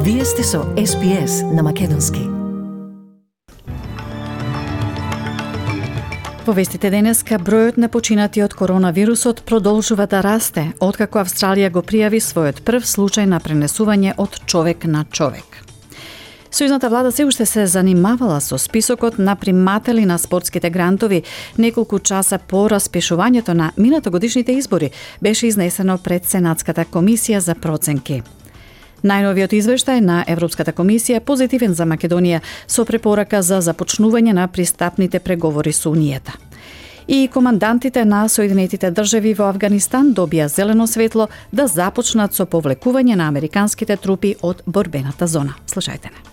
Вие сте со SPS на Македонски. Во вестите денеска, бројот на починати од коронавирусот продолжува да расте, откако Австралија го пријави својот прв случај на пренесување од човек на човек. Сојузната влада се уште се занимавала со списокот на приматели на спортските грантови неколку часа по распишувањето на минатогодишните избори, беше изнесено пред Сенатската комисија за проценки. Најновиот извештај на Европската комисија позитивен за Македонија со препорака за започнување на пристапните преговори со Унијата. И командантите на Соединетите држави во Авганистан добија зелено светло да започнат со повлекување на американските трупи од борбената зона. Слушајте не.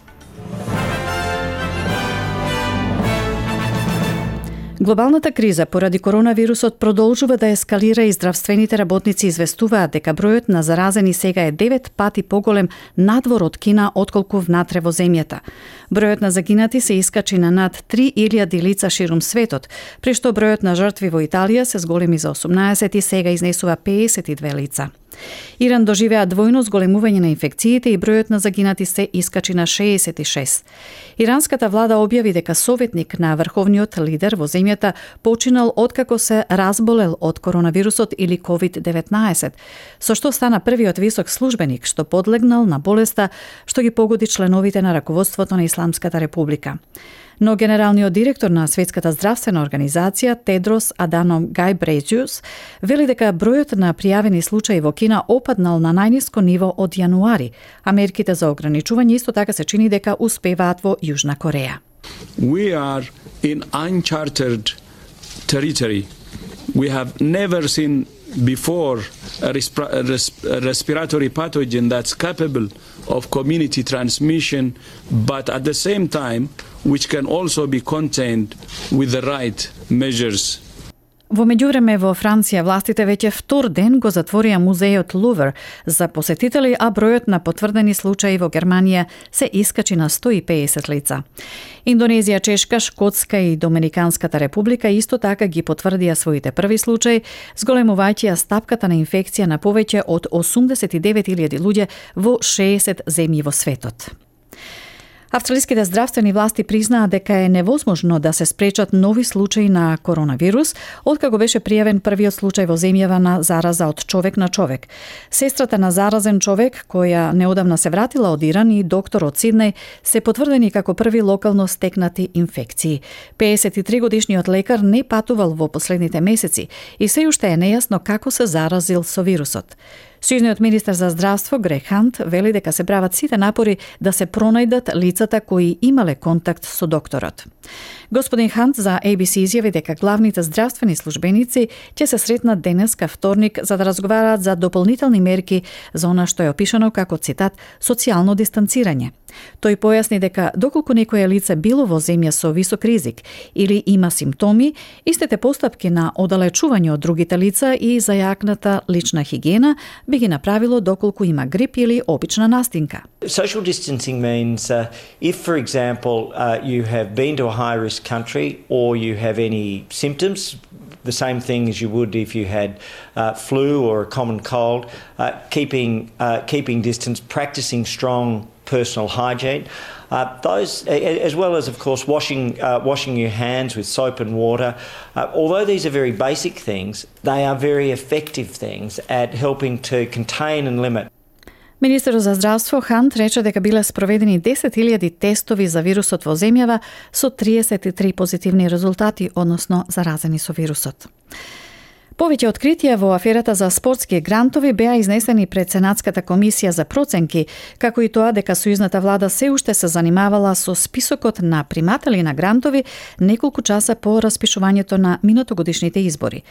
Глобалната криза поради коронавирусот продолжува да ескалира и здравствените работници известуваат дека бројот на заразени сега е 9 пати поголем надвор од Кина отколку внатре во земјата. Бројот на загинати се искачи на над 3000 лица ширум светот, при што бројот на жртви во Италија се зголеми за 18 и сега изнесува 52 лица. Иран доживеа двојно зголемување на инфекциите и бројот на загинати се искачи на 66. Иранската влада објави дека советник на врховниот лидер во земјата починал откако се разболел од коронавирусот или COVID-19, со што стана првиот висок службеник што подлегнал на болеста што ги погоди членовите на раководството на Исламската република. Но генералниот директор на Светската здравствена организација Тедрос Аданом Гајбрејеsus вели дека бројот на пријавени случаи во Кина опаднал на најниско ниво од јануари, а мерките за ограничување исто така се чини дека успеваат во Јужна Кореја. We are in uncharted territory. We have never seen before a respiratory pathogen that's capable of community transmission, but at the same time, which can also be contained with the right measures. Во меѓувреме во Франција властите веќе втор ден го затворија музејот Лувр за посетители, а бројот на потврдени случаи во Германија се искачи на 150 лица. Индонезија, Чешка, Шкотска и Доминиканската република исто така ги потврдија своите први случаи, зголемувајќи ја стапката на инфекција на повеќе од 89.000 луѓе во 60 земји во светот. Австралиските здравствени власти признаа дека е невозможно да се спречат нови случаи на коронавирус, откако беше пријавен првиот случај во земјава на зараза од човек на човек. Сестрата на заразен човек, која неодамна се вратила од Иран, и доктор од Сиднеј се потврдени како први локално стекнати инфекции. 53-годишниот лекар не патувал во последните месеци и се уште е нејасно како се заразил со вирусот. Сојузниот министер за здравство Грег Хант вели дека се прават сите напори да се пронајдат лицата кои имале контакт со докторот. Господин Хант за ABC изјави дека главните здравствени службеници ќе се сретнат денеска вторник за да разговараат за дополнителни мерки за она што е опишано како, цитат, социјално дистанцирање. Тој појасни дека доколку некое лице било во земја со висок ризик или има симптоми, истите постапки на оддалечување од другите лица и зајакната лична хигиена би ги направило доколку има грип или обична настинка. Social distancing means if, for example, you have been to a high-risk country or you have any symptoms, the same thing as you would if you had flu or a common cold, keeping distance, practicing strong personal hygiene, those, as well as, of course, washing your hands with soap and water. Although these are very basic things, they are very effective things at helping to contain and limit. Министерот за здравство Хант рече дека биле спроведени 10.000 тестови за вирусот во земјава со 33 позитивни резултати, односно заразени со вирусот. Повеќе откритија во аферата за спортски грантови беа изнесени пред Сенатската комисија за проценки, како и тоа дека сојузната влада се уште се занимавала со списокот на приматели на грантови неколку часа по распишувањето на минатогодишните избори.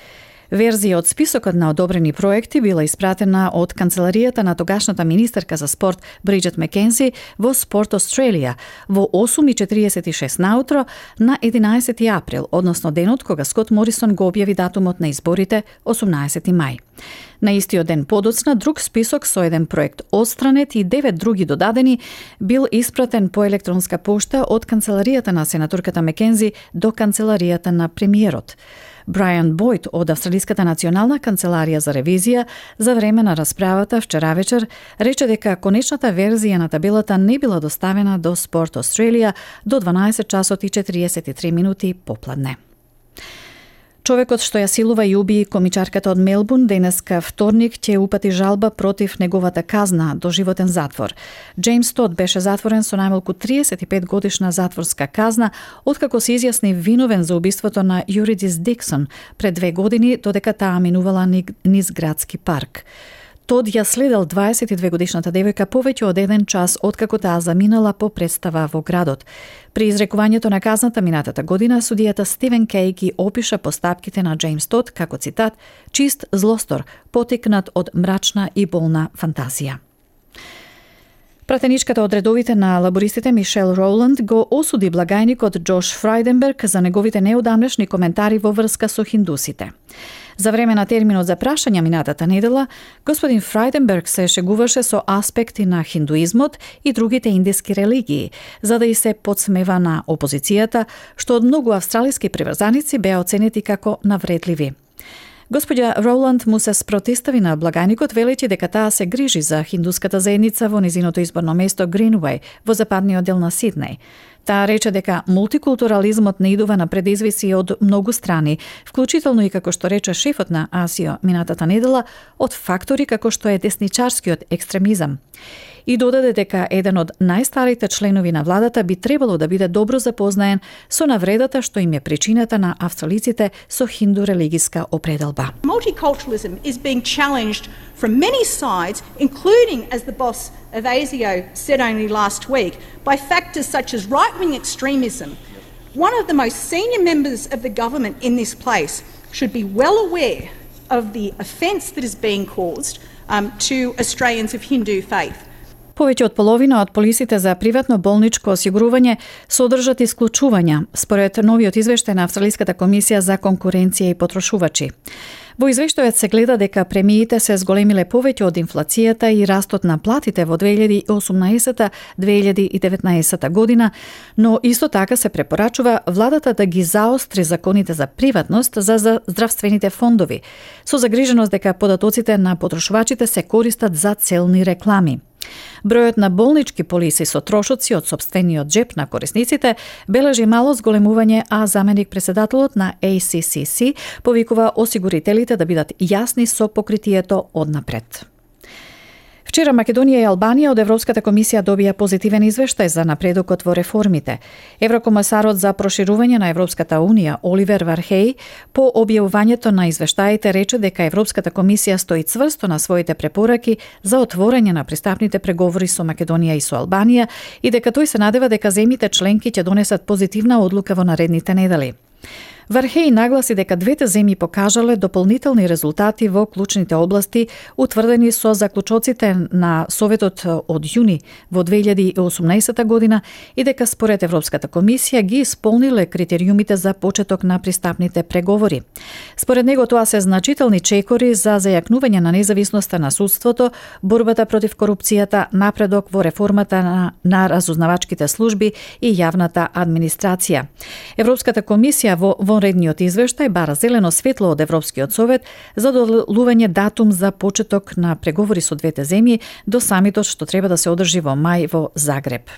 Верзија од списокот на одобрени проекти била испратена од канцеларијата на тогашната министерка за спорт Бриджет Маккензи во Спорт Australia во 8:46 наутро на 11 април, односно денот кога Скот Морисон го објави датумот на изборите 18 мај. На истиот ден подоцна друг список со еден проект отстранет и 9 други додадени бил испратен по електронска пошта од канцеларијата на сенаторката Маккензи до канцеларијата на премиерот. Brian Boyd од Австралиската национална канцеларија за ревизија за време на расправата вчера вечер рече дека конечната верзија на табелата не била доставена до Sport Australia до 12 часот и 43 минути попладне. Човекот што ја силува и уби комичарката од Мелбурн денеска вторник ќе упати жалба против неговата казна до животен затвор. Джеймс Тод беше затворен со најмалку 35 годишна затворска казна откако се изјасни виновен за убиството на Юридис Диксон пред 2 години додека таа минувала низ градски парк. Тод ја следел 22 годишната девојка повеќе од 1 час откако таа заминала по представа во градот. При изрекувањето на казната минатата година, судијата Стивен Кей ги опиша постапките на Джеймс Тод како цитат «чист злостор, потикнат од мрачна и болна фантазија». Пратеничката од редовите на лабористите Мишел Роланд го осуди благајникот Џош Фрајденберг за неговите неудамнешни коментари во врска со хиндусите. За време на терминот за прашања минатата недела, господин Фрајденберг се шегуваше со аспекти на хиндуизмот и другите индиски религии, за да и се подсмева на опозицијата, што од многу австралиски приврзаници беа оценети како навредливи. Господја Роланд му се спротистави на благајникот велејќи дека таа се грижи за хиндуската заедница во низиното изборно место Гринвеј во западниот дел на Сиднеј. Таа рече дека мултикултурализмот не идува на предизвици од многу страни, вклучително и како што рече шефот на АСИО минатата недела, од фактори како што е десничарскиот екстремизам. И додаде дека еден од најстарите членови на владата би требало да биде добро запознаен со навредата што им е причината на австралиците со хинду религиска определба. Multiculturalism is being challenged from many sides, including, as the boss of ASIO said only last week, by factors such as right-wing extremism. One of the most senior members of the government in this place should be well aware of the offence that is being caused to Australians of Hindu faith. Повеќе од половина од полисите за приватно болничко осигурување содржат исклучувања, според новиот извештај на Австралиската комисија за конкуренција и потрошувачи. Во извештајот се гледа дека премиите се зголемиле повеќе од инфлацијата и растот на платите во 2018-2019 година, но исто така се препорачува владата да ги заостри законите за приватност за здравствените фондови, со загриженост дека податоците на потрошувачите се користат за целни реклами. Бројот на болнички полиси со трошоци од сопствениот джеп на корисниците бележи мало зголемување, а заменик председателот на ACCC повикува осигурителите да бидат јасни со покритието однапред. Вчера Македонија и Албанија од Европската комисија добија позитивен извештај за напредокот во реформите. Еврокомесарот за проширување на Европската унија Оливер Вархеј по објавувањето на извештаите рече дека Европската комисија стои цврсто на своите препораки за отворање на пристапните преговори со Македонија и со Албанија и дека тој се надева дека земјите членки ќе донесат позитивна одлука во наредните недели. Вархеј нагласи дека двете земји покажале дополнителни резултати во клучните области утврдени со заклучоците на Советот од јуни во 2018 година и дека според Европската комисија ги исполниле критериумите за почеток на пристапните преговори. Според него тоа се значителни чекори за зајакнување на независноста на судството, борбата против корупцијата, напредок во реформата на разузнавачките служби и јавната администрација. Европската комисија во вонредниот извештај бара зелено светло од Европскиот совет за доделување датум за почеток на преговори со двете земји до самитот што треба да се одржи во мај во Загреб.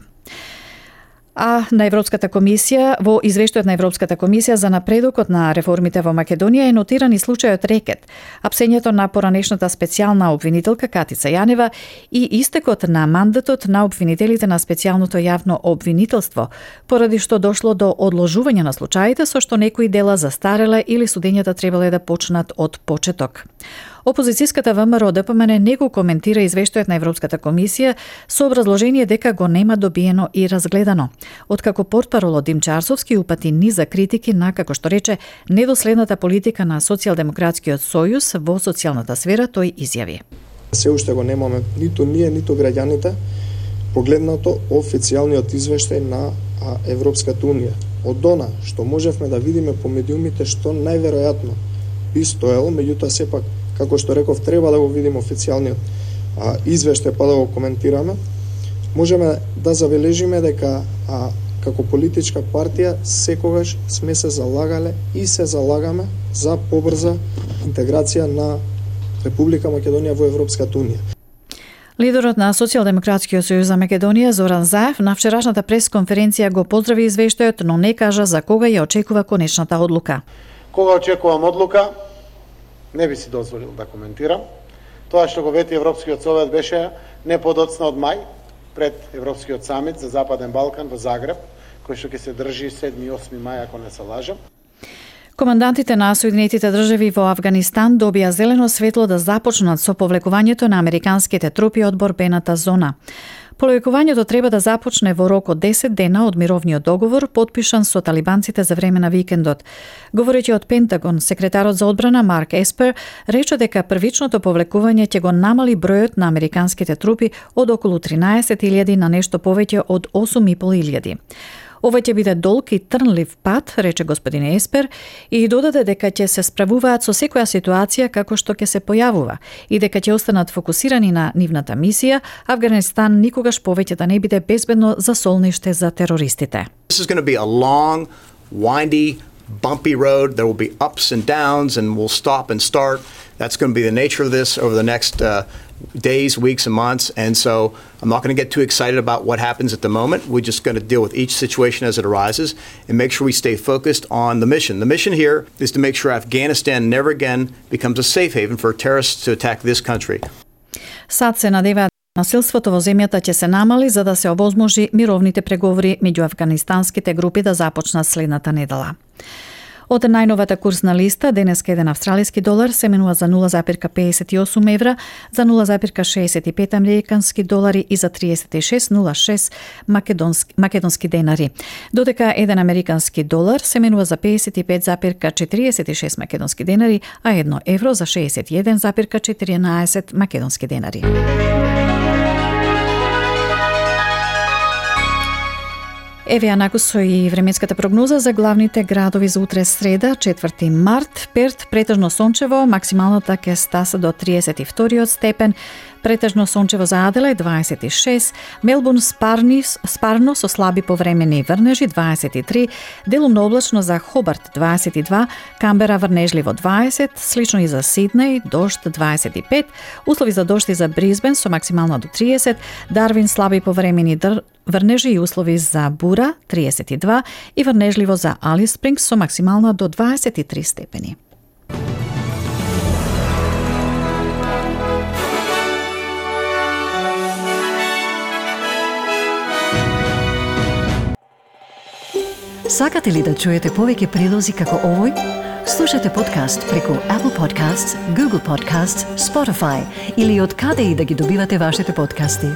А на Европската комисија, во извештајот на Европската комисија за напредокот на реформите во Македонија е нотиран и случајот Рекет, апсењето на поранешната специјална обвинителка Катица Јанева и истекот на мандатот на обвинителите на специјалното јавно обвинителство, поради што дошло до одложување на случаите со што некои дела застареле или судењата требале да почнат од почеток. Опозицијската ВМРО ДПМН не го коментира извештајот на Европската комисија со образложение дека го нема добиено и разгледано, откако портпаролот Димчарсовски упати низа критики на, како што рече, недоследната политика на Социјалдемократскиот сојуз во социјалната сфера, тој изјави. Се уште го немаме ниту ние, ниту граѓаните погледнато официјалниот извештај на Европската унија. Од она што можевме да видиме по медиумите што најверојатно би стоело, меѓутоа сепак како што реков, треба да го видиме официјалниот извештај па да го коментираме. Можеме да забележиме дека како политичка партија секогаш сме се залагале и се залагаме за побрза интеграција на Република Македонија во Европската унија. Лидерот на Социјалдемократскиот сојуз за Македонија Зоран Заев на вчерашната пресконференција го поздрави извештајот, но не кажа за кога ја очекува конечната одлука. Кога очекувам одлука, не би си дозволил да коментирам. Тоа што го вети Европскиот совет беше не подоцна од мај, пред Европскиот самит за Западен Балкан во Загреб, кој што ќе се држи 7 и 8 мај, ако не се лажам. Командантите на Соединетите држави во Авганистан добија зелено светло да започнат со повлекувањето на американските трупи од борбената зона. Повлекувањето треба да започне во рок од 10 дена од мировниот договор подпишан со талибанците за време на викендот. Говорејќи од Пентагон, секретарот за одбрана Марк Еспер рече дека првичното повлекување ќе го намали бројот на американските трупи од околу 13.000 на нешто повеќе од 8.500. Ова ќе биде долг и трнлив пат, рече господин Еспер, и додаде дека ќе се справуваат со секоја ситуација како што ќе се појавува и дека ќе останат фокусирани на нивната мисија, Авганистан никогаш повеќе да не биде безбедно за солниште за терористите. This is going to be a long, windy, bumpy road. There will be ups and downs and we'll stop and start. That's going to be the nature of this over the next days, weeks, and months. And so I'm not going to get too excited about what happens at the moment. We're just going to deal with each situation as it arises and make sure we stay focused on the mission. The mission here is to make sure Afghanistan never again becomes a safe haven for terrorists to attack this country. Сад се надеваат насилството во земјата ќе се намали за да се овозможи мировните преговори меѓу афганистанските групи да започнат следната недела. Од најновата курсна листа, денеска еден австралиски долар се менува за 0,58 евра, за 0,65 американски долари и за 36,06 македонски денари. Додека еден американски долар се менува за 55,46 македонски денари, а 1 евро за 61,14 македонски денари. Еве ја накусо и временската прогноза за главните градови за утре среда, 4 март. Перт претежно сончево, максималната ќе стаса до 32 степен, претежно сончево за Аделајд 26, Мелбурн спарно со слаби повремени врнежи 23, делумно облачно за Хобарт 22, Камбера врнежливо 20, слично и за Сиднеј, дожд 25, услови за дожд и за Бризбен со максимално до 30, Дарвин слаби повремени врнежи и услови за бура 32 и врнежливо за Алис Спрингс со максимално до 23 степени. Сакате ли да чуете повеќе прилози како овој? Слушате подкаст преку Apple Podcasts, Google Podcasts, Spotify или од каде и да ги добивате вашите подкасти.